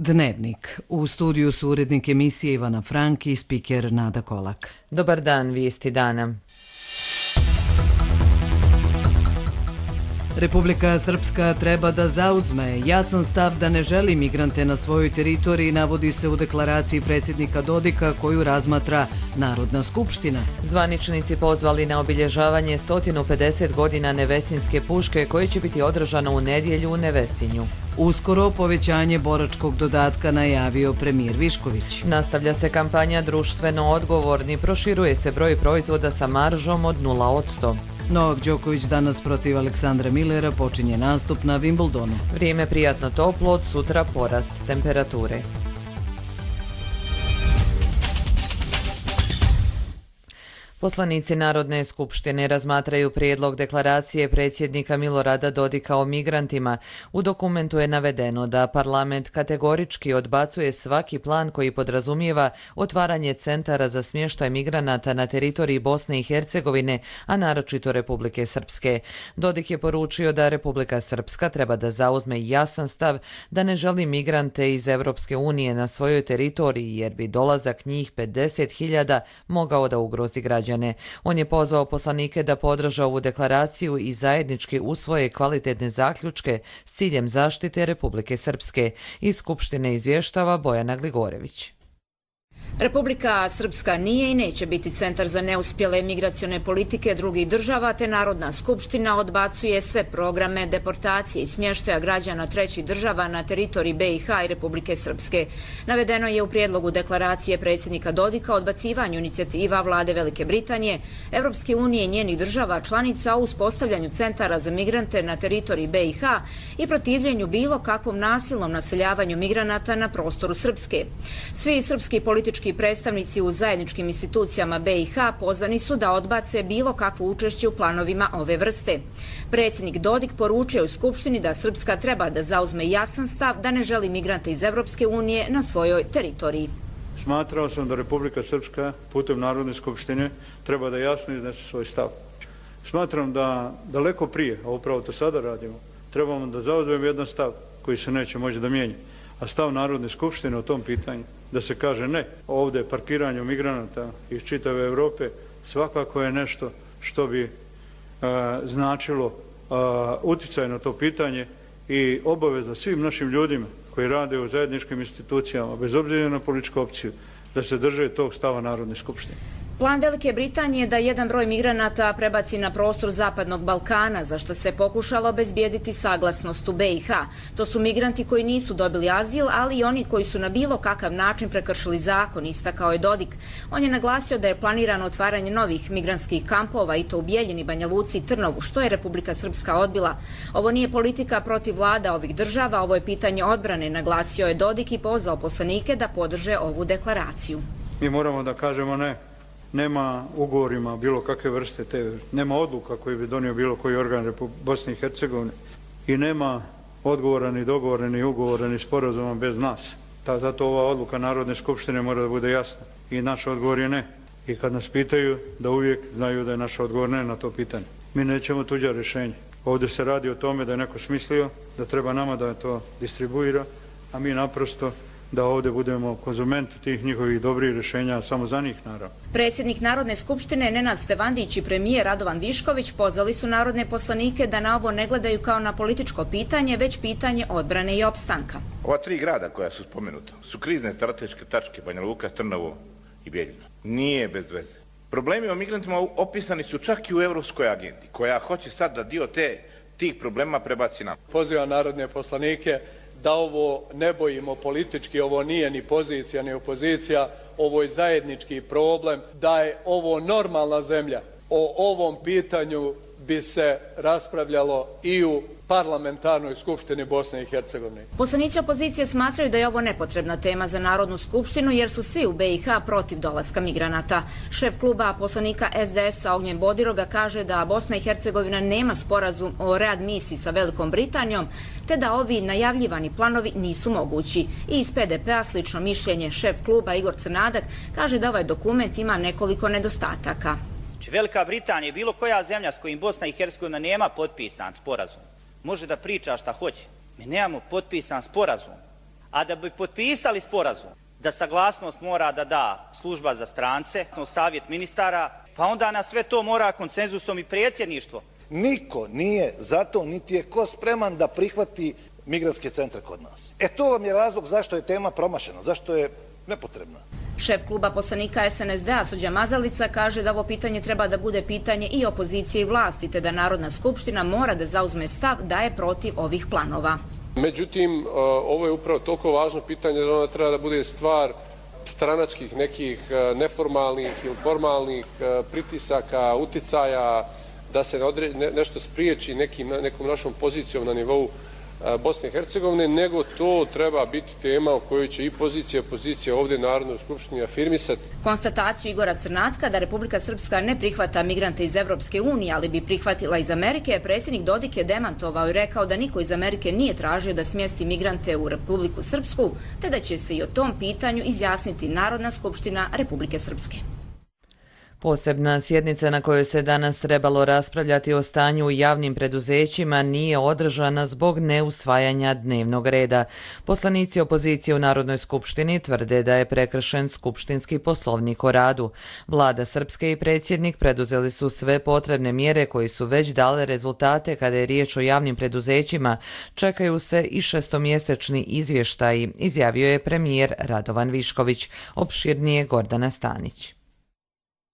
Dnevnik. U studiju su urednik emisije Ivana Frank i spiker Nada Kolak. Dobar dan, vijesti dana. Republika Srpska treba da zauzme jasan stav da ne želi migrante na svojoj teritoriji, navodi se u deklaraciji predsjednika Dodika koju razmatra Narodna skupština. Zvaničnici pozvali na obilježavanje 150 godina Nevesinske puške koje će biti održano u nedjelju u Nevesinju. Uskoro povećanje boračkog dodatka najavio premijer Višković. Nastavlja se kampanja društveno odgovorni, proširuje se broj proizvoda sa maržom od 0%. Novak Đoković danas protiv Aleksandra Millera počinje nastup na Wimbledonu. Vrijeme prijatno toplo, od sutra porast temperature. Poslanici Narodne skupštine razmatraju prijedlog deklaracije predsjednika Milorada Dodika o migrantima. U dokumentu je navedeno da parlament kategorički odbacuje svaki plan koji podrazumijeva otvaranje centara za smještaj migranata na teritoriji Bosne i Hercegovine, a naročito Republike Srpske. Dodik je poručio da Republika Srpska treba da zauzme jasan stav da ne želi migrante iz Europske unije na svojoj teritoriji jer bi dolazak njih 50.000 mogao da ugrozi građane. On je pozvao poslanike da podrže ovu deklaraciju i zajednički usvoje kvalitetne zaključke s ciljem zaštite Republike Srpske. Iz Skupštine izvještava Bojana Gligorević. Republika Srpska nije i neće biti centar za neuspjele migracione politike drugih država, te Narodna skupština odbacuje sve programe deportacije i smještaja građana trećih država na teritoriji BiH i Republike Srpske. Navedeno je u prijedlogu deklaracije predsjednika Dodika o odbacivanju inicijativa vlade Velike Britanije, Evropske unije i njenih država članica o uspostavljanju centara za migrante na teritoriji BiH i protivljenju bilo kakvom nasilnom naseljavanju migranata na prostoru Srpske. Svi srpski politički predstavnici u zajedničkim institucijama BiH pozvani su da odbace bilo kakvo učešće u planovima ove vrste. Predsjednik Dodik poručio u Skupštini da Srpska treba da zauzme jasan stav da ne želi migrante iz Evropske unije na svojoj teritoriji. Smatrao sam da Republika Srpska putem Narodne skupštine treba da jasno iznese svoj stav. Smatram da daleko prije, a upravo to sada radimo, trebamo da zauzmemo jedan stav koji se neće moći da mijenja. A stav Narodne skupštine o tom pitanju da se kaže ne ovdje parkiranju migranata iz čitave Europe svakako je nešto što bi značilo utjecaj na to pitanje i obaveza svim našim ljudima koji rade u zajedničkim institucijama, bez obzira na političku opciju, da se drže tog stava Narodne skupštine. Plan Velike Britanije je da jedan broj migranata prebaci na prostor Zapadnog Balkana, za što se pokušalo obezbijediti saglasnost u BiH. To su migranti koji nisu dobili azil, ali i oni koji su na bilo kakav način prekršili zakon, istakao je Dodik. On je naglasio da je planirano otvaranje novih migrantskih kampova i to u Bijeljini, Banja Luci i Trnovu, što je Republika Srpska odbila. Ovo nije politika protiv vlada ovih država, ovo je pitanje odbrane, naglasio je Dodik i pozvao poslanike da podrže ovu deklaraciju. Mi moramo da kažemo ne. Nema ugovorima bilo kakve vrste, nema odluka koji bi donio bilo koji organ Bosne i Hercegovine i nema odgovora ni dogovora ni ugovora ni sporazuma bez nas. Zato ova odluka Narodne skupštine mora da bude jasna i naš odgovor je ne. I kad nas pitaju da uvijek znaju da je naš odgovor ne na to pitanje. Mi nećemo tuđa rješenja. Ovdje se radi o tome da je neko smislio da treba nama da to distribuira, a mi naprosto da ovdje budemo konzumenti tih njihovih dobrih rješenja, samo za njih naravno. Predsjednik Narodne skupštine Nenad Stevandić i premijer Radovan Višković pozvali su narodne poslanike da na ovo ne gledaju kao na političko pitanje, već pitanje odbrane i opstanka. Ova tri grada koja su spomenuta su krizne strateške tačke, Banja Luka, Trnovo i Bijeljina. Nije bez veze. Problemi o migrantima opisani su čak i u Europskoj agendi, koja hoće sad da dio tih problema prebaci nam. Pozivam narodne poslanike da ovo ne bojimo politički, ovo nije ni pozicija ni opozicija, ovo je zajednički problem, da je ovo normalna zemlja. O ovom pitanju bi se raspravljalo i u parlamentarnoj skupštini Bosne i Hercegovine. Poslanici opozicije smatraju da je ovo nepotrebna tema za Narodnu skupštinu jer su svi u BiH protiv dolaska migranata. Šef kluba poslanika SDS-a Ognjen Bodiroga kaže da Bosna i Hercegovina nema sporazum o readmisiji sa Velikom Britanijom, te da ovi najavljivani planovi nisu mogući. I iz PDP-a slično mišljenje. Šef kluba Igor Crnadak kaže da ovaj dokument ima nekoliko nedostataka. Velika Britanija, bilo koja zemlja s kojim Bosna i Hercegovina nema potpisan sporazum, može da priča šta hoće. Mi nemamo potpisan sporazum, A da bi potpisali sporazum, da saglasnost mora da da služba za strance, savjet ministara, pa onda na sve to mora konsenzusom i predsjedništvo. Niko nije zato, niti je ko spreman da prihvati migrantske centre kod nas. To vam je razlog zašto je tema promašena, zašto je nepotrebna. Šef kluba poslanika SNSD-a Srđan Mazalica kaže da ovo pitanje treba da bude pitanje i opozicije i vlasti, te da Narodna skupština mora da zauzme stav da je protiv ovih planova. Međutim, ovo je upravo toliko važno pitanje da ona treba da bude stvar stranačkih nekih neformalnih ili formalnih pritisaka, uticaja, da se nešto spriječi nekom našom pozicijom na nivou Bosne i Hercegovine, nego to treba biti tema o kojoj će i pozicija ovdje u Narodnoj skupštini afirmisati. Konstataciju Igora Crnatka da Republika Srpska ne prihvata migrante iz Evropske unije, ali bi prihvatila iz Amerike, predsjednik Dodik je demantovao i rekao da niko iz Amerike nije tražio da smjesti migrante u Republiku Srpsku, te da će se i o tom pitanju izjasniti Narodna skupština Republike Srpske. Posebna sjednica na kojoj se danas trebalo raspravljati o stanju u javnim preduzećima nije održana zbog neusvajanja dnevnog reda. Poslanici opozicije u Narodnoj skupštini tvrde da je prekršen skupštinski poslovnik o radu. Vlada Srpske i predsjednik preduzeli su sve potrebne mjere koji su već dale rezultate kada je riječ o javnim preduzećima. Čekaju se i šestomjesečni izvještaji, izjavio je premijer Radovan Višković. Opširnije Gordana Stanić.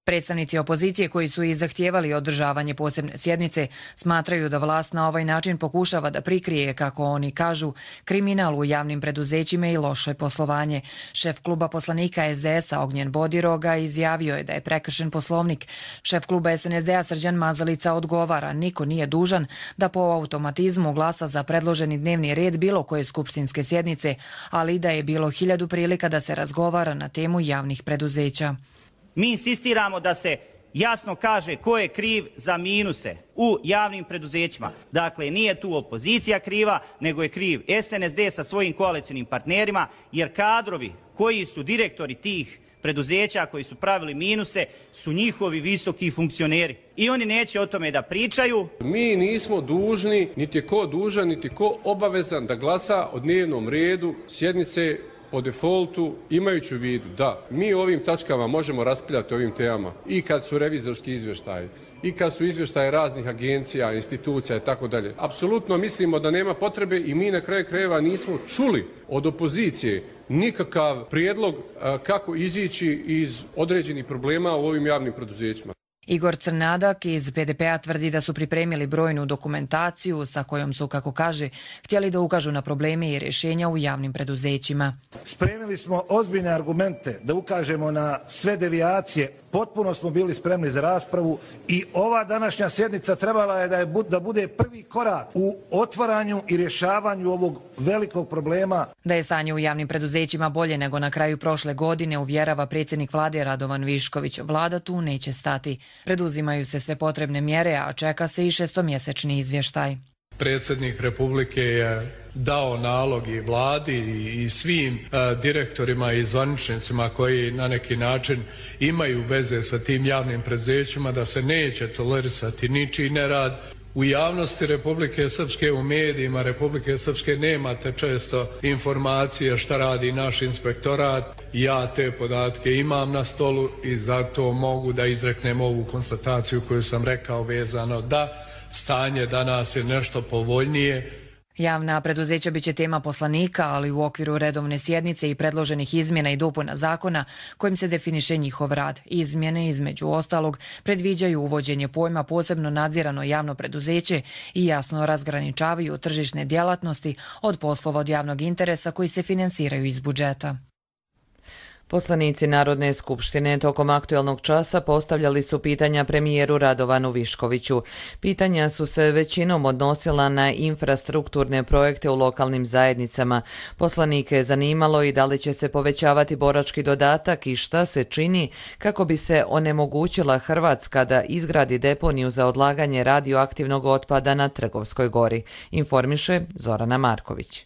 Predstavnici opozicije koji su i zahtijevali održavanje posebne sjednice smatraju da vlast na ovaj način pokušava da prikrije, kako oni kažu, kriminal u javnim preduzećima i loše poslovanje. Šef kluba poslanika SDS-a Ognjen Bodiroga izjavio je da je prekršen poslovnik. Šef kluba SNSD-a Srđan Mazalica odgovara, niko nije dužan da po automatizmu glasa za predloženi dnevni red bilo koje skupštinske sjednice, ali da je bilo 1000 prilika da se razgovara na temu javnih preduzeća. Mi insistiramo da se jasno kaže ko je kriv za minuse u javnim preduzećima. Dakle, nije tu opozicija kriva, nego je kriv SNSD sa svojim koalicijnim partnerima, jer kadrovi koji su direktori tih preduzeća, koji su pravili minuse, su njihovi visoki funkcioneri. I oni neće o tome da pričaju. Mi nismo dužni, niti je ko dužan, niti ko obavezan da glasa o dnevnom redu sjednice po defaultu, imajući u vidu da mi ovim tačkama možemo raspravljati o ovim temama i kad su revizorski izvještaji, i kad su izvještaje raznih agencija, institucija i tako dalje. Apsolutno mislimo da nema potrebe i mi na kraju krajeva nismo čuli od opozicije nikakav prijedlog kako izići iz određenih problema u ovim javnim preduzećima. Igor Crnadak iz BDP-a tvrdi da su pripremili brojnu dokumentaciju sa kojom su, kako kaže, htjeli da ukažu na probleme i rješenja u javnim preduzećima. Spremili smo ozbiljne argumente da ukažemo na sve devijacije. Potpuno smo bili spremni za raspravu i ova današnja sjednica trebala je da bude prvi korak u otvaranju i rješavanju ovog velikog problema. Da je stanje u javnim preduzećima bolje nego na kraju prošle godine, uvjerava predsjednik vlade Radovan Višković. Vlada tu neće stati. Preduzimaju se sve potrebne mjere, a čeka se i šestomjesečni izvještaj. Predsjednik Republike je dao nalog i vladi i svim direktorima i zvaničnicima koji na neki način imaju veze sa tim javnim preduzećima da se neće tolerisati ničiji nerad. U javnosti Republike Srpske, u medijima Republike Srpske nemate često informacije šta radi naš inspektorat. Ja te podatke imam na stolu i zato mogu da izreknem ovu konstataciju koju sam rekao vezano da stanje danas je nešto povoljnije. Javna preduzeća biće tema poslanika, ali u okviru redovne sjednice i predloženih izmjena i dopuna zakona kojim se definiše njihov rad. Izmjene, između ostalog, predviđaju uvođenje pojma posebno nadzirano javno preduzeće i jasno razgraničavaju tržišne djelatnosti od poslova od javnog interesa koji se finansiraju iz budžeta. Poslanici Narodne skupštine tokom aktualnog časa postavljali su pitanja premijeru Radovanu Viškoviću. Pitanja su se većinom odnosila na infrastrukturne projekte u lokalnim zajednicama. Poslanike je zanimalo i da li će se povećavati borački dodatak i šta se čini kako bi se onemogućila Hrvatska da izgradi deponiju za odlaganje radioaktivnog otpada na Trgovskoj gori, informiše Zorana Marković.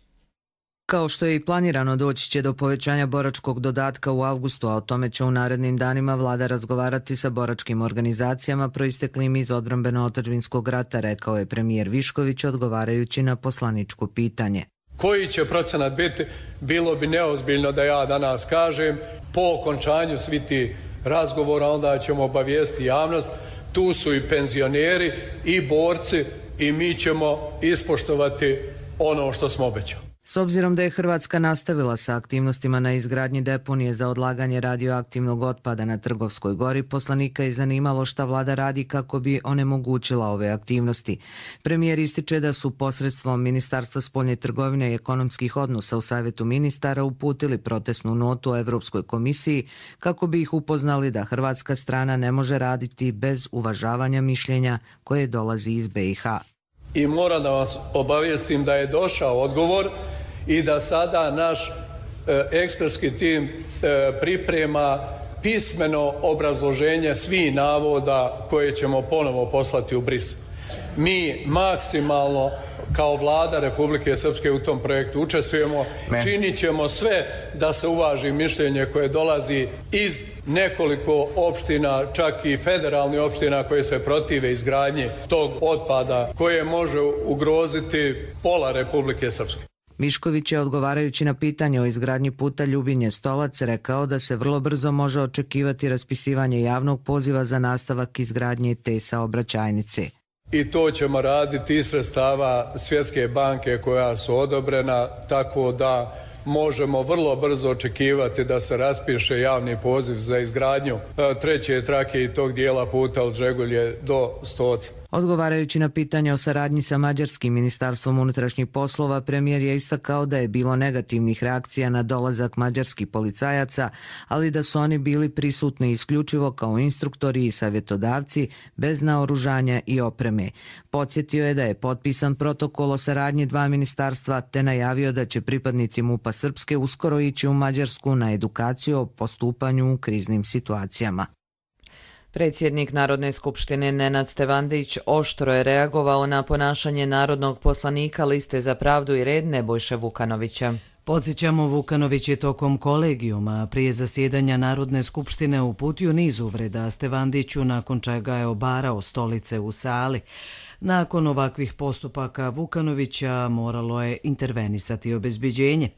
Kao što je i planirano, doći će do povećanja boračkog dodatka u avgustu, a o tome će u narednim danima vlada razgovarati sa boračkim organizacijama proisteklim iz odbrambeno-otadžbinskog rata, rekao je premijer Višković odgovarajući na poslaničko pitanje. Koji će procenat biti, bilo bi neozbiljno da ja danas kažem. Po okončanju svi ti razgovora onda ćemo obavijestiti javnost. Tu su i penzioneri i borci i mi ćemo ispoštovati ono što smo obećali. S obzirom da je Hrvatska nastavila sa aktivnostima na izgradnji deponije za odlaganje radioaktivnog otpada na Trgovskoj gori, poslanika je zanimalo šta vlada radi kako bi onemogućila ove aktivnosti. Premijer ističe da su posredstvom Ministarstva spoljne trgovine i ekonomskih odnosa u Savjetu ministara uputili protestnu notu Evropskoj komisiji kako bi ih upoznali da hrvatska strana ne može raditi bez uvažavanja mišljenja koje dolazi iz BiH. I moram da vas obavijestim da je došao odgovor i da sada naš ekspertski tim priprema pismeno obrazloženje svih navoda koje ćemo ponovo poslati u Brisel. Mi maksimalno kao vlada Republike Srpske u tom projektu učestvujemo, činit ćemo sve da se uvaži mišljenje koje dolazi iz nekoliko opština, čak i federalnih opština koje se protive izgradnji tog otpada koje može ugroziti pola Republike Srpske. Mišković je, odgovarajući na pitanje o izgradnji puta Ljubinje-Stolac, rekao da se vrlo brzo može očekivati raspisivanje javnog poziva za nastavak izgradnje te saobraćajnice. I to ćemo raditi iz sredstava Svjetske banke koja su odobrena, tako da možemo vrlo brzo očekivati da se raspiše javni poziv za izgradnju treće trake i tog dijela puta od Žegulje do Stoca. Odgovarajući na pitanje o saradnji sa Mađarskim ministarstvom unutrašnjih poslova, premijer je istakao da je bilo negativnih reakcija na dolazak mađarskih policajaca, ali da su oni bili prisutni isključivo kao instruktori i savjetodavci bez naoružanja i opreme. Podsjetio je da je potpisan protokol o saradnji dva ministarstva te najavio da će pripadnici MUP-a Srpske uskoro ići u Mađarsku na edukaciju o postupanju u kriznim situacijama. Predsjednik Narodne skupštine Nenad Stevandić oštro je reagovao na ponašanje narodnog poslanika Liste za pravdu i red Nebojše Vukanovića. Podsjećamo, Vukanović je tokom kolegijuma prije zasjedanja Narodne skupštine uputio niz uvreda Stevandiću, nakon čega je obarao stolice u sali. Nakon ovakvih postupaka Vukanovića moralo je intervenisati obezbeđenje.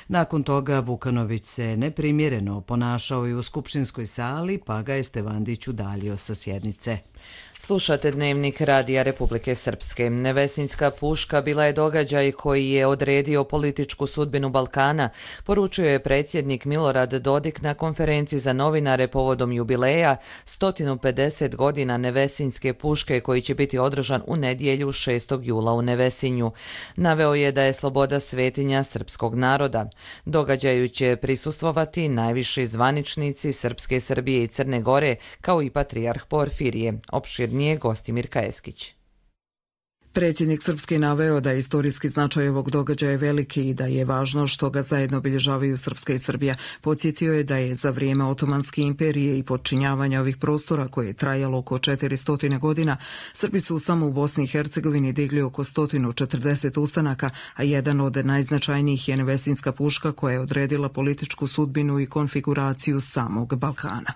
Nakon toga Vukanović se neprimjereno ponašao i u skupštinskoj sali, pa ga je Stevandić udaljio sa sjednice. Slušate Dnevnik Radija Republike Srpske. Nevesinjska puška bila je događaj koji je odredio političku sudbinu Balkana, poručuje je predsjednik Milorad Dodik na konferenciji za novinare povodom jubileja 150 godina Nevesinjske puške koji će biti održan u nedjelju 6. jula u Nevesinju. Naveo je da je sloboda svetinja srpskog naroda. Događaju će prisustvovati najviši zvaničnici Srpske, Srbije i Crne Gore, kao i patrijarh Porfirije. Opširnije Gostimir Kajeskić. Predsjednik Srpske naveo da je istorijski značaj ovog događaja veliki i da je važno što ga zajedno obilježavaju Srpska i Srbija. Podsjetio je da je za vrijeme Otomanske imperije i podčinjavanja ovih prostora, koje je trajalo oko 400 godina, Srbi su samo u Bosni i Hercegovini digli oko 140 ustanaka, a jedan od najznačajnijih je Nevesinjska puška koja je odredila političku sudbinu i konfiguraciju samog Balkana.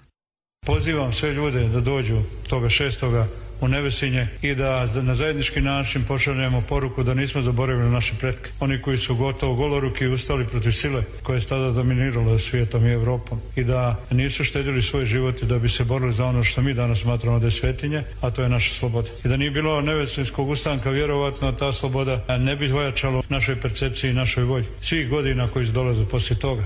Pozivam sve ljude da dođu toga 6. u Nevesinje i da na zajednički način pošaljemo poruku da nismo zaboravili naše pretke. Oni koji su gotovo goloruki ustali protiv sile koja je tada dominirala svijetom i Evropom i da nisu štedili svoj život da bi se borili za ono što mi danas smatramo da je svetinje, a to je naša sloboda. I da nije bilo Nevesinjskog ustanka, vjerovatno ta sloboda ne bi ojačala našoj percepciji i našoj volji. Svih godina koji su dolaze poslije toga.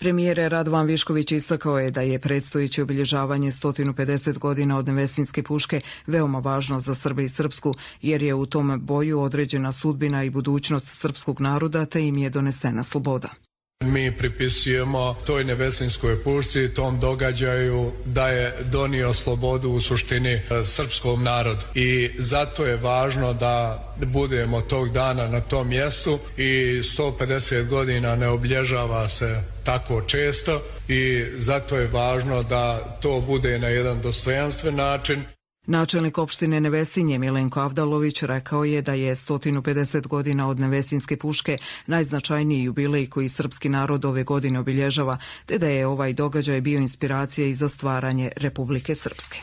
Premijer Radovan Višković istakao je da je predstojeće obilježavanje 150 godina od Nevesinjske puške veoma važno za Srbe i Srpsku, jer je u tom boju određena sudbina i budućnost srpskog naroda, te im je donesena sloboda. Mi pripisujemo toj Nevesinjskoj pušci, tom događaju, da je donio slobodu u suštini srpskom narodu. I zato je važno da budemo tog dana na tom mjestu i 150 godina ne obilježava se tako često i zato je važno da to bude na jedan dostojanstven način. Načelnik opštine Nevesinje Milenko Avdalović rekao je da je 150 godina od Nevesinjske puške najznačajniji jubilej koji srpski narod ove godine obilježava, te da je ovaj događaj bio inspiracija i za stvaranje Republike Srpske.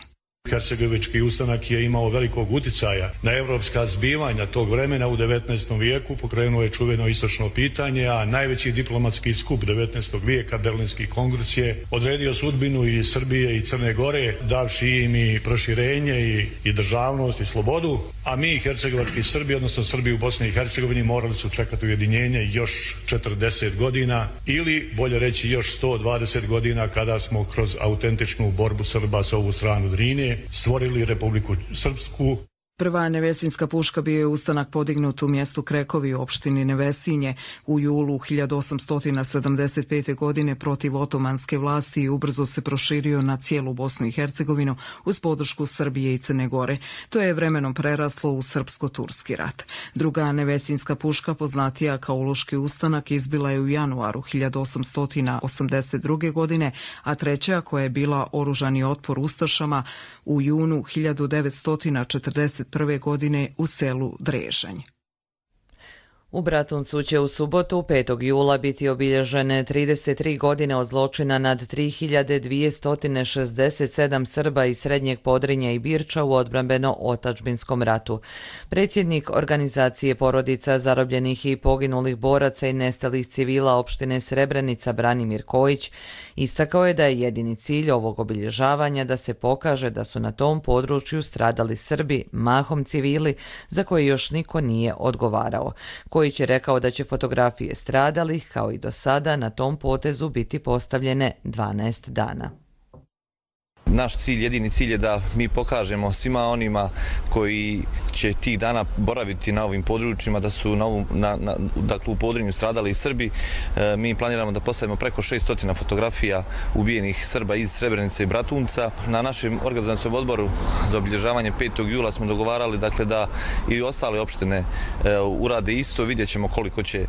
Hercegovački ustanak je imao velikog uticaja na evropska zbivanja tog vremena u 19. vijeku, pokrenuo je čuveno istočno pitanje, a najveći diplomatski skup 19. vijeka, Berlinski kongres, je odredio sudbinu i Srbije i Crne Gore, davši im i proširenje i državnost i slobodu, a mi hercegovački Srbi, odnosno Srbi u Bosni i Hercegovini, morali su čekati ujedinjenje još 40 godina ili, bolje reći, još 120 godina kada smo kroz autentičnu borbu Srba s ovu stranu Drine stvorili Republiku Srpsku. Prva nevesinska puška bio je ustanak podignut u mjestu Krekovi u opštini Nevesinje u julu 1875. godine protiv otomanske vlasti i ubrzo se proširio na cijelu Bosnu i Hercegovinu uz podršku Srbije i Crne Gore. To je vremenom preraslo u Srpsko-turski rat. Druga nevesinska puška, poznatija kao Uluški ustanak, izbila je u januaru 1882. godine, a treća, koja je bila oružani otpor ustašama, u junu 1941. godine u selu Drežanj. U Bratuncu će u subotu 5. jula biti obilježene 33 godine od zločina nad 3267 Srba iz Srednjeg Podrinja i Birča u odbrambeno-otadžbinskom ratu. Predsjednik organizacije porodica zarobljenih i poginulih boraca i nestalih civila opštine Srebrenica Branimir Kojić istakao je da je jedini cilj ovog obilježavanja da se pokaže da su na tom području stradali Srbi, mahom civili, za koje još niko nije odgovarao. Kojić je rekao da će fotografije stradalih, kao i do sada, na tom potezu biti postavljene 12 dana. Naš cilj, jedini cilj je da mi pokažemo svima onima koji će tih dana boraviti na ovim područjima da su dakle, u Podrinju stradali i Srbi. Mi planiramo da postavimo preko 600 fotografija ubijenih Srba iz Srebrenice i Bratunca. Na našem organizacijskom odboru za obilježavanje 5. jula smo dogovarali dakle, da i ostale opštine urade isto. Vidjet ćemo koliko će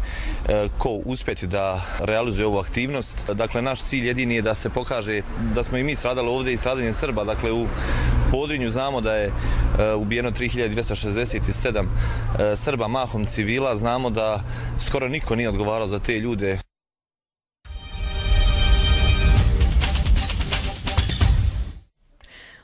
ko uspjeti da realizuje ovu aktivnost. Dakle, naš cilj jedini je da se pokaže da smo i mi stradali ovdje i stradanje Srba. Dakle, u Podrinju znamo da je ubijeno 3267 Srba, mahom civila. Znamo da skoro niko nije odgovarao za te ljude.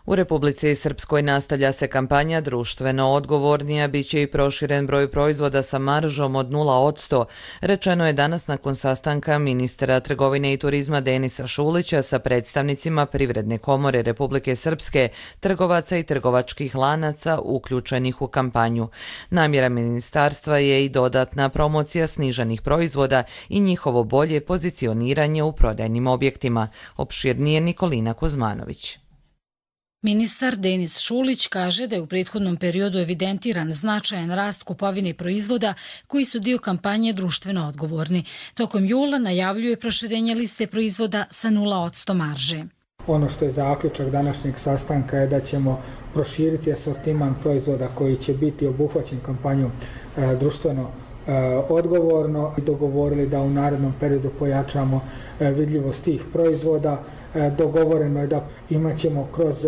U Republici Srpskoj nastavlja se kampanja društveno odgovornija, bit će i proširen broj proizvoda sa maržom od 0%, rečeno je danas nakon sastanka ministra trgovine i turizma Denisa Šulića sa predstavnicima Privredne komore Republike Srpske, trgovaca i trgovačkih lanaca uključenih u kampanju. Namjera ministarstva je i dodatna promocija sniženih proizvoda i njihovo bolje pozicioniranje u prodajnim objektima. Opširnije Nikolina Kuzmanović. Ministar Denis Šulić kaže da je u prethodnom periodu evidentiran značajan rast kupovine proizvoda koji su dio kampanje društveno odgovorni. Tokom jula najavljuje proširenje liste proizvoda sa 0% marže. Ono što je zaključak današnjeg sastanka je da ćemo proširiti asortiman proizvoda koji će biti obuhvaćen kampanjom društveno odgovorno i dogovorili da u narednom periodu pojačamo vidljivost tih proizvoda. Dogovoreno je da imat ćemo kroz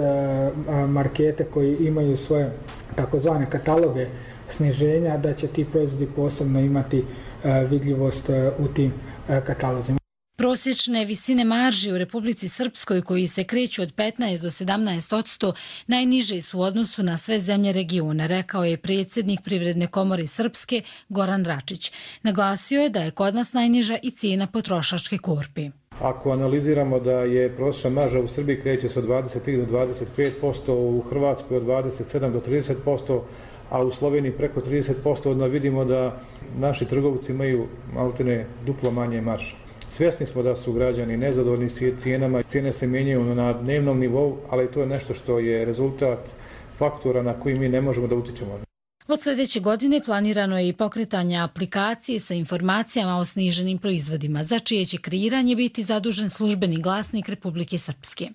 markete koji imaju svoje takozvane kataloge sniženja, da će ti proizvodi posebno imati vidljivost u tim katalozima. Prosječne visine marži u Republici Srpskoj, koji se kreću od 15 do 17%, najniže su u odnosu na sve zemlje regiona, rekao je predsjednik Privredne komore Srpske Goran Račić. Naglasio je da je kod nas najniža i cijena potrošačke korpi. Ako analiziramo da je prosječna marža u Srbiji kreće se od 23 do 25%, u Hrvatskoj od 27 do 30%, a u Sloveniji preko 30%, onda vidimo da naši trgovci imaju maltene duplo manje marže. Svjesni smo da su građani nezadovoljni cijenama, cijene se mijenjaju na dnevnom nivou, ali to je nešto što je rezultat faktora na koji mi ne možemo da utičemo. Od sljedeće godine planirano je i pokretanje aplikacije sa informacijama o sniženim proizvodima, za čije će kreiranje biti zadužen službeni glasnik Republike Srpske.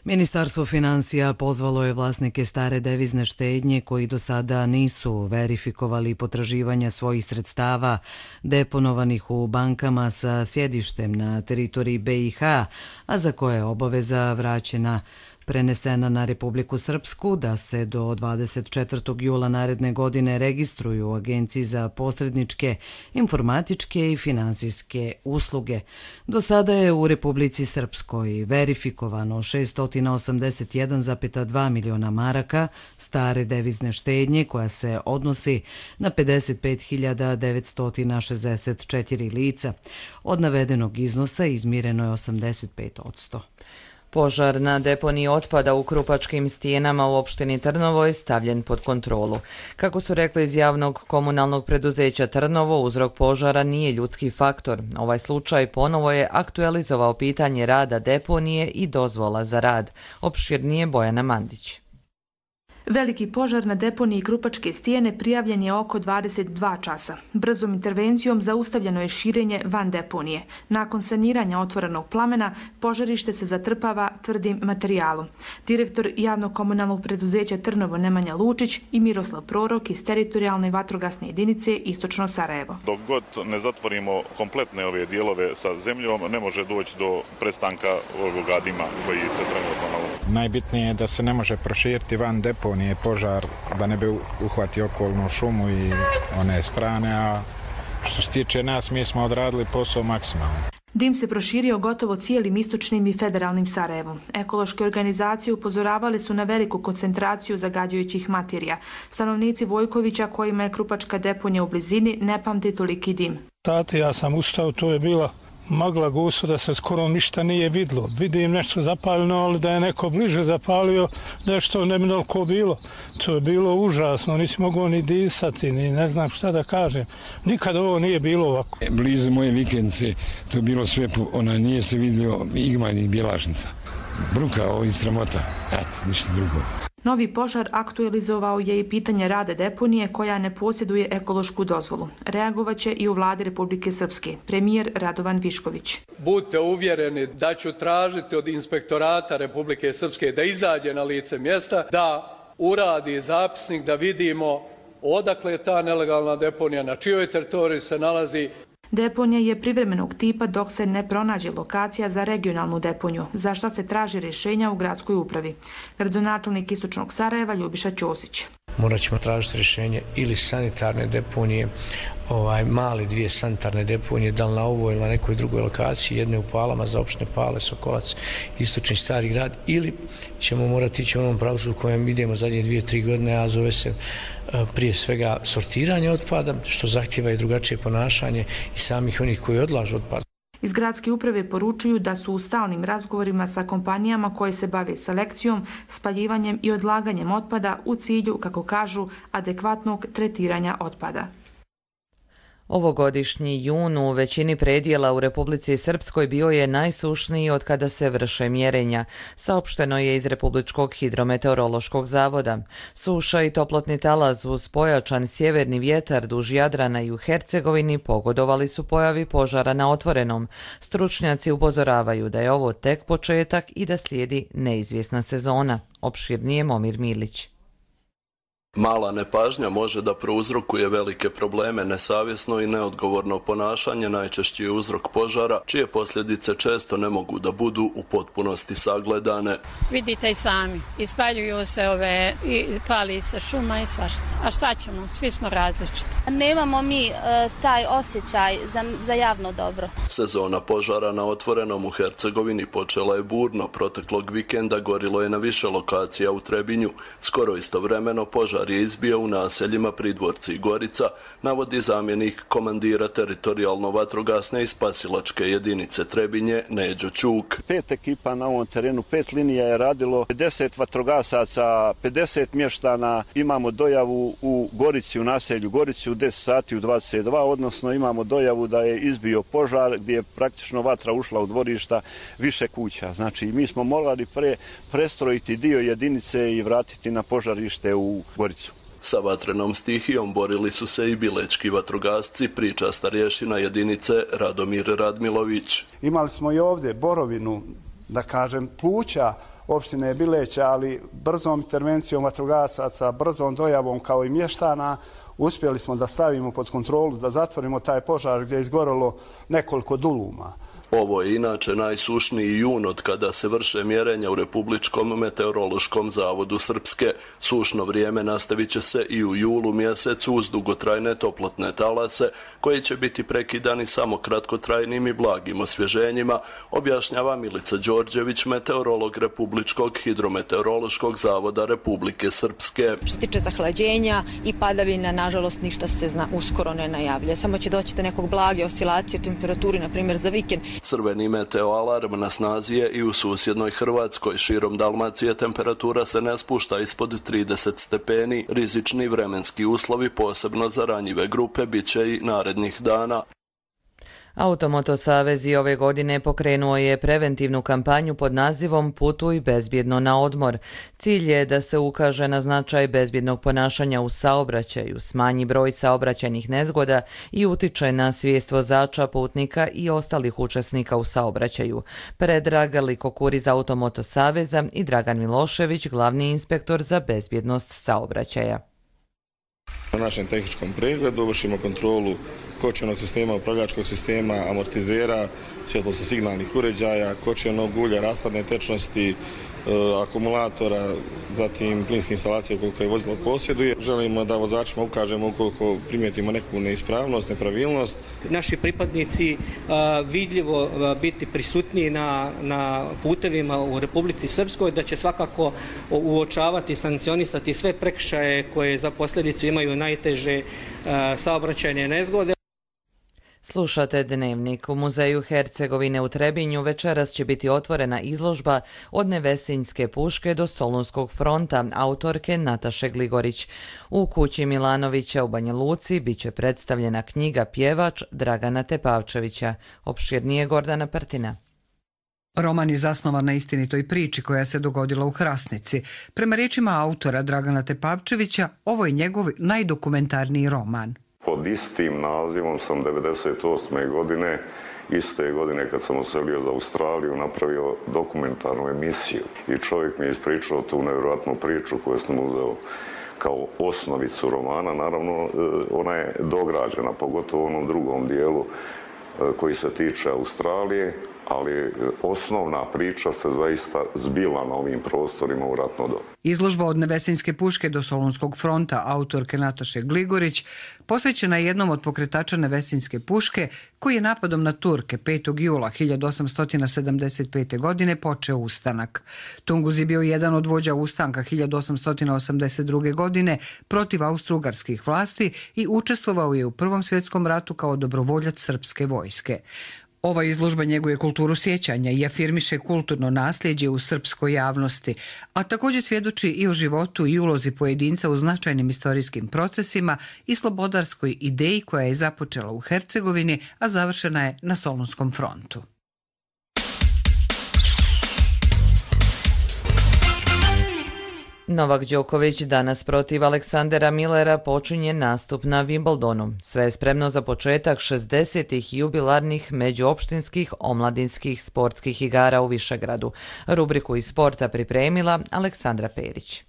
Ministarstvo financija pozvalo je vlasnike stare devizne štednje koji do sada nisu verifikovali potraživanja svojih sredstava deponovanih u bankama sa sjedištem na teritoriji BiH, a za koje je obaveza vraćena prenesena na Republiku Srpsku, da se do 24. jula naredne godine registruju u Agenciji za posredničke, informatičke i finansijske usluge. Do sada je u Republici Srpskoj verifikovano 681,2 miliona maraka stare devizne štednje, koja se odnosi na 55.964 lica. Od navedenog iznosa izmireno je 85%. Požar na deponiji otpada u Krupačkim stijenama u opštini Trnovo je stavljen pod kontrolu. Kako su rekli iz javnog komunalnog preduzeća Trnovo, uzrok požara nije ljudski faktor. Ovaj slučaj ponovo je aktualizovao pitanje rada deponije i dozvola za rad. Opširnije Bojana Mandić. Veliki požar na deponiji Krupačke stijene prijavljen je oko 22 časa. Brzom intervencijom zaustavljeno je širenje van deponije. Nakon saniranja otvorenog plamena, požarište se zatrpava tvrdim materijalom. Direktor javnog komunalnog preduzeća Trnovo Nemanja Lučić i Miroslav Prorok iz teritorijalne vatrogasne jedinice Istočno Sarajevo. Dok god ne zatvorimo kompletne ove dijelove sa zemljom, ne može doći do prestanka ovoga dima koji se trenutno nalazi. Najbitnije je da se ne može proširiti van deponije požar, da ne bi uhvatio okolnu šumu i one strane, a što se tiče nas, mi smo odradili posao maksimalno. Dim se proširio gotovo cijelim istočnim i federalnim Sarajevom. Ekološke organizacije upozoravali su na veliku koncentraciju zagađujućih materija. Stanovnici Vojkovića, kojima je Krupačka deponija u blizini, ne pamti toliki dim. Ja sam ustao, to je bila magla gusto da se skoro ništa nije vidlo. Vidim nešto zapaljeno, ali da je neko bliže zapalio, nešto neminovko bilo. To je bilo užasno, nisi mogao ni disati, ni ne znam šta da kažem. Nikad ovo nije bilo ovako. Blizu moje vikendce, to je bilo sve, nije se vidio igma ni bjelašnica. Bruka, ovo i sramota, ništa drugo. Novi požar aktualizovao je i pitanje rada deponije koja ne posjeduje ekološku dozvolu. Reagovaće i u vladi Republike Srpske, premijer Radovan Višković. Budite uvjereni da ću tražiti od inspektorata Republike Srpske da izađe na lice mjesta, da uradi zapisnik, da vidimo odakle je ta nelegalna deponija, na čijoj teritoriji se nalazi. Deponija je privremenog tipa dok se ne pronađe lokacija za regionalnu deponiju, za što se traži rješenja u gradskoj upravi. Gradonačelnik Istočnog Sarajeva Ljubiša Ćosić. Morat ćemo tražiti rješenje ili sanitarne deponije, male 2 sanitarne deponije, da li na ovoj ili na nekoj drugoj lokaciji, jedne u Palama za opštine Pale, Sokolac, Istočni Stari grad, ili ćemo morati ići u onom pravcu u kojem idemo zadnje 2-3 godine, a zove se prije svega sortiranje otpada, što zahtjeva i drugačije ponašanje i samih onih koji odlažu otpad. Iz gradske uprave poručuju da su u stalnim razgovorima sa kompanijama koje se bave selekcijom, spaljivanjem i odlaganjem otpada u cilju, kako kažu, adekvatnog tretiranja otpada. Ovogodišnji jun u većini predjela u Republici Srpskoj bio je najsušniji od kada se vrše mjerenja, saopšteno je iz Republičkog hidrometeorološkog zavoda. Suša i toplotni talaz uz pojačan sjeverni vjetar duž Jadrana i u Hercegovini pogodovali su pojavi požara na otvorenom. Stručnjaci upozoravaju da je ovo tek početak i da slijedi neizvjesna sezona. Opširnije Momir Milić. Mala nepažnja može da prouzrokuje velike probleme, nesavjesno i neodgovorno ponašanje najčešći je uzrok požara, čije posljedice često ne mogu da budu u potpunosti sagledane. Vidite i sami, ispaljuju se i pali se šuma i svašta. A šta ćemo, svi smo različiti. Nemamo mi taj osjećaj za javno dobro. Sezona požara na otvorenom u Hercegovini počela je burno. Proteklog vikenda gorilo je na više lokacija u Trebinju. Skoro istovremeno požar je izbio u naseljima Pridvorci i Gorica, navodi zamjenik komandira teritorijalno-vatrogasne i spasilačke jedinice Trebinje Neđo Ćuk. 5 ekipa na ovom terenu, 5 linija je radilo, 50 vatrogasaca, 50 mještana. Imamo dojavu u Gorici, u naselju Gorici u 10 sati u 22, odnosno imamo dojavu da je izbio požar gdje je praktično vatra ušla u dvorišta više kuća. Znači mi smo morali prestrojiti dio jedinice i vratiti na požarište u Goricu. Sa vatrenom stihijom borili su se i bilečki vatrogasci, priča starješina jedinice Radomir Radmilović. Imali smo i ovdje borovinu, da kažem, pluća opštine Bileća, ali brzom intervencijom vatrogasaca, brzom dojavom kao i mještana, uspjeli smo da stavimo pod kontrolu, da zatvorimo taj požar gdje je izgorelo nekoliko duluma. Ovo je inače najsušniji jun od kada se vrše mjerenja u Republičkom meteorološkom zavodu Srpske. Sušno vrijeme nastavit će se i u julu mjesecu uz dugotrajne toplotne talase, koji će biti prekidani samo kratkotrajnim i blagim osvježenjima, objašnjava Milica Đorđević, meteorolog Republičkog hidrometeorološkog zavoda Republike Srpske. Što se tiče zahlađenja i padavina, nažalost, ništa se uskoro ne najavlja. Samo će doći do nekog blage oscilacije temperaturi, na primjer za vikend. Crveni meteoalarm na snazi je i u susjednoj Hrvatskoj. Širom Dalmacije temperatura se ne spušta ispod 30 stepeni. Rizični vremenski uslovi, posebno za ranjive grupe, bit će i narednih dana. Automoto Savez i ove godine pokrenuo je preventivnu kampanju pod nazivom Putuj bezbjedno na odmor. Cilj je da se ukaže na značaj bezbjednog ponašanja u saobraćaju, smanji broj saobraćajnih nezgoda i utiče na svijest vozača, putnika i ostalih učesnika u saobraćaju. Predrag Likokuri iz Automoto Saveza i Dragan Milošević, glavni inspektor za bezbjednost saobraćaja. Na našem tehničkom pregledu vršimo kontrolu kočionog sistema, upravljačkog sistema, amortizera, svjetlosno-signalnih uređaja, kočionog ulja, rashladne tečnosti, akumulatora, zatim plinske instalacije ukoliko je vozilo posjeduje. Želimo da vozačima ukažemo ukoliko primijetimo neku neispravnost, nepravilnost. Naši pripadnici vidljivo biti prisutniji na putevima u Republici Srpskoj, da će svakako uočavati i sankcionisati sve prekršaje koje za posljedicu imaju najteže saobraćajne nezgode. Slušate Dnevnik. U Muzeju Hercegovine u Trebinju večeras će biti otvorena izložba Od Nevesinjske puške do Solunskog fronta autorke Nataše Gligorić. U kući Milanovića u Banja Luci bit će predstavljena knjiga Pjevač Dragana Tepavčevića. Opširnije Gordana Prtina. Roman je zasnovan na istinitoj priči koja se dogodila u Hrasnici. Prema riječima autora Dragana Tepavčevića, ovo je njegov najdokumentarniji roman. Pod istim nazivom sam 1998. godine, iste godine kad sam oselio za Australiju, napravio dokumentarnu emisiju. I čovjek mi je ispričao tu nevjerojatnu priču koju sam uzeo kao osnovicu romana. Naravno, ona je dograđena, pogotovo u onom drugom dijelu koji se tiče Australije, ali osnovna priča se zaista zbila na ovim prostorima u ratno doba. Izložba Od Nevesinjske puške do Solunskog fronta autorke Nataše Gligorić posvećena je jednom od pokretača Nevesinjske puške koji je napadom na Turke 5. jula 1875. godine počeo ustanak. Tunguz je bio jedan od vođa ustanka 1882. godine protiv austrougarskih vlasti i učestvovao je u Prvom svjetskom ratu kao dobrovoljac srpske vojske. Ova izložba njeguje kulturu sjećanja i afirmiše kulturno nasljeđe u srpskoj javnosti, a također svjedoči i o životu i ulozi pojedinca u značajnim istorijskim procesima i slobodarskoj ideji koja je započela u Hercegovini, a završena je na Solunskom frontu. Novak Đoković danas protiv Aleksandera Millera počinje nastup na Wimbledonu. Sve je spremno za početak 60. jubilarnih međuopštinskih omladinskih sportskih igara u Višegradu. Rubriku iz sporta pripremila Aleksandra Perić.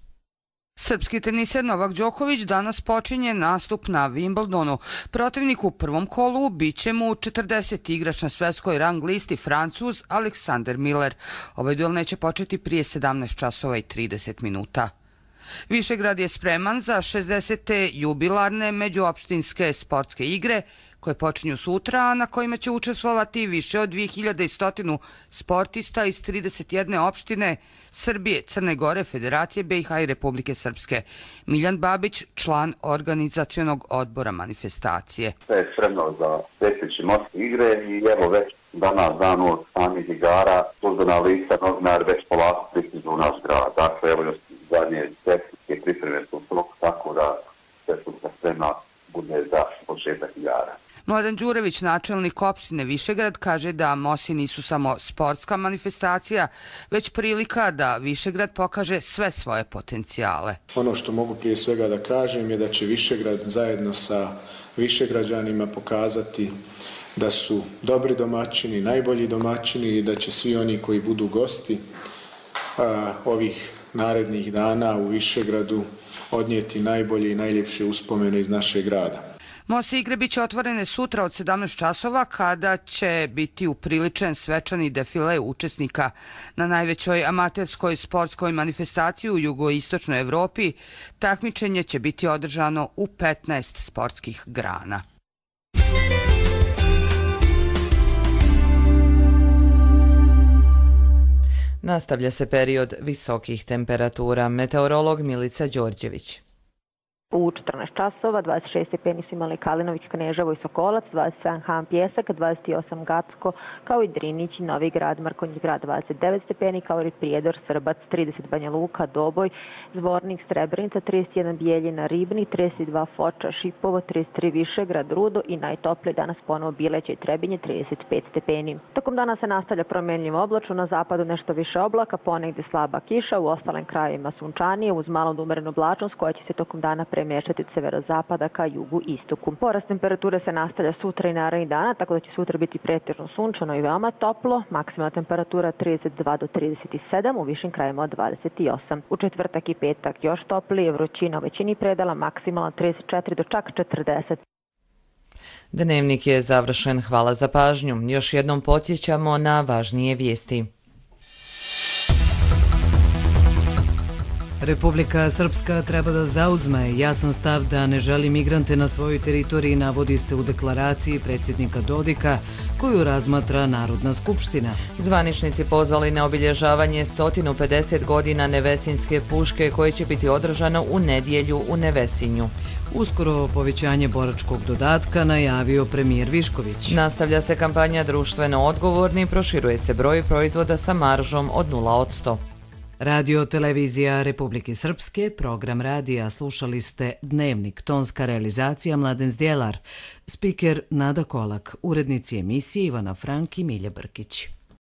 Srpski teniser Novak Đoković danas počinje nastup na Wimbledonu. Protivnik u prvom kolu biće mu 40. igrač na svjetskoj rang listi Francuz Alexander Miller. Ovaj duel neće početi prije 17 časova i 30 minuta. Višegrad je spreman za 60. jubilarne međuopštinske sportske igre koje počinju sutra, a na kojima će učestvovati više od 2100 sportista iz 31 opštine Srbije, Crne Gore, Federacije BiH i Republike Srpske. Miljan Babić, član organizacionog odbora manifestacije. Sve je spremno za sljedeće morske igre i evo već danas dan od samih igara službena lica novinar već polako pristižu u naš grad. Dakle, evo još zadnje tehničke pripreme su tako da sve su spremna bude za početak igara. Mladen Đurević, načelnik opštine Višegrad, kaže da Mosi nisu samo sportska manifestacija, već prilika da Višegrad pokaže sve svoje potencijale. Ono što mogu prije svega da kažem je da će Višegrad zajedno sa Višegrađanima pokazati da su dobri domaćini, najbolji domaćini i da će svi oni koji budu gosti ovih narednih dana u Višegradu odnijeti najbolje i najljepše uspomene iz našeg grada. Mose igre biće otvorene sutra od 17 časova kada će biti upriličen svečani defile učesnika. Na najvećoj amaterskoj sportskoj manifestaciji u jugoistočnoj Evropi takmičenje će biti održano u 15 sportskih grana. Nastavlja se period visokih temperatura. Meteorolog Milica Đorđević. U 14 časova 26 stepeni su imali Kalinović, Kneževo i Sokolac, 27 Han Pjesak, 28 Gacko, kao i Drinić, Novi Grad, Mrkonjić Grad 29 stepeni, kao i Prijedor, Srbac 30, Banja Luka, Doboj, Zvornik, Srebrenica 31, Bijeljina, Ribnik 32, Foča, Šipovo 33, Višegrad, Rudo i najtoplije danas ponovo Bileća i Trebinje 35 stepeni. Tokom dana se nastavlja promjenljivo oblačno, na zapadu nešto više oblaka, ponegdje slaba kiša, u ostalim krajevima sunčanije uz malo umerenu oblačnost koja će se tokom dana premještati od severozapada ka jugu istoku. Porast temperature se nastavlja sutra i narednih dana, tako da će sutra biti pretežno sunčano i veoma toplo, maksimalna temperatura 32 do 37, u višim krajevima od 28. U četvrtak i petak još toplije, vrućina u većini predela, maksimalno 34 do čak 40. Dnevnik je završen. Hvala za pažnju. Još jednom podsjećamo na važnije vijesti. Republika Srpska treba da zauzme jasan stav da ne želi migrante na svojoj teritoriji, navodi se u deklaraciji predsjednika Dodika koju razmatra Narodna skupština. Zvaničnici pozvali na obilježavanje 150 godina Nevesinjske puške koje će biti održano u nedjelju u Nevesinju. Uskoro povećanje boračkog dodatka najavio premijer Višković. Nastavlja se kampanja društveno odgovorni, proširuje se broj proizvoda sa maržom od 0%. Radio Televizija Republike Srpske, program radija, slušali ste Dnevnik, tonska realizacija Mladen Zdjelar, spiker Nada Kolak, urednici emisije Ivana Frank i Milja Brkić.